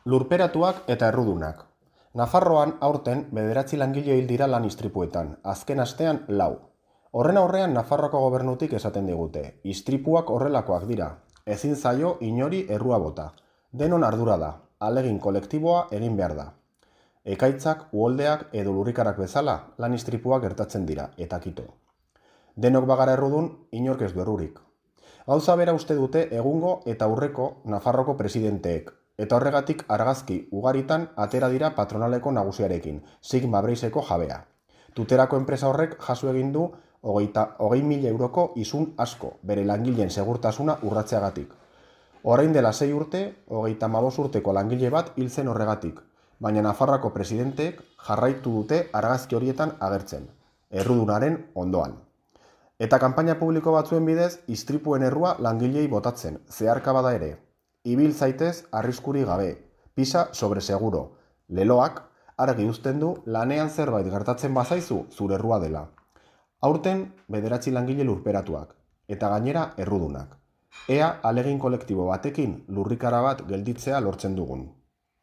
Lurperatuak eta errudunak. Nafarroan aurten 9 langile hil dira lan istripuetan, azken astean 4. Horren aurrean Nafarroako gobernutik esaten digute, istripuak horrelakoak dira, ezin zaio inori errua bota. Denon ardura da, ahalegin kolektiboa egin behar da. Ekaitzak, uholdeak edo lurrikarak bezala lan istripuak gertatzen dira, eta kito. Denok bagara errudun, inork ez du errurik. Gauza bera uste dute egungo eta aurreko Nafarroko presidenteek, eta horregatik argazki ugaritan atera dira patronaleko nagusiarekin, Sigma Breizeko jabea. Tuterako enpresa horrek jaso egin du 20.000 euroko isun asko, bere langileen segurtasuna urratzeagatik. Orain dela 6 urte, 35 urteko langile bat hil zen horregatik, baina Nafarroako presidenteek jarraitu dute argazki horietan agertzen, errudunaren ondoan. Eta kanpaina publiko batzuen bidez, istripuen errua langilei botatzen, zeharka bada ere. Ibil zaitez arriskuri gabe, pisa sobre seguro. Leloak argi uzten du lanean zerbait gertatzen bazaizu zure errua dela. Aurten 9 langile lurperatuak, eta gainera errudunak. Ea ahalegin kolektibo batekin lurrikara bat gelditzea lortzen dugun.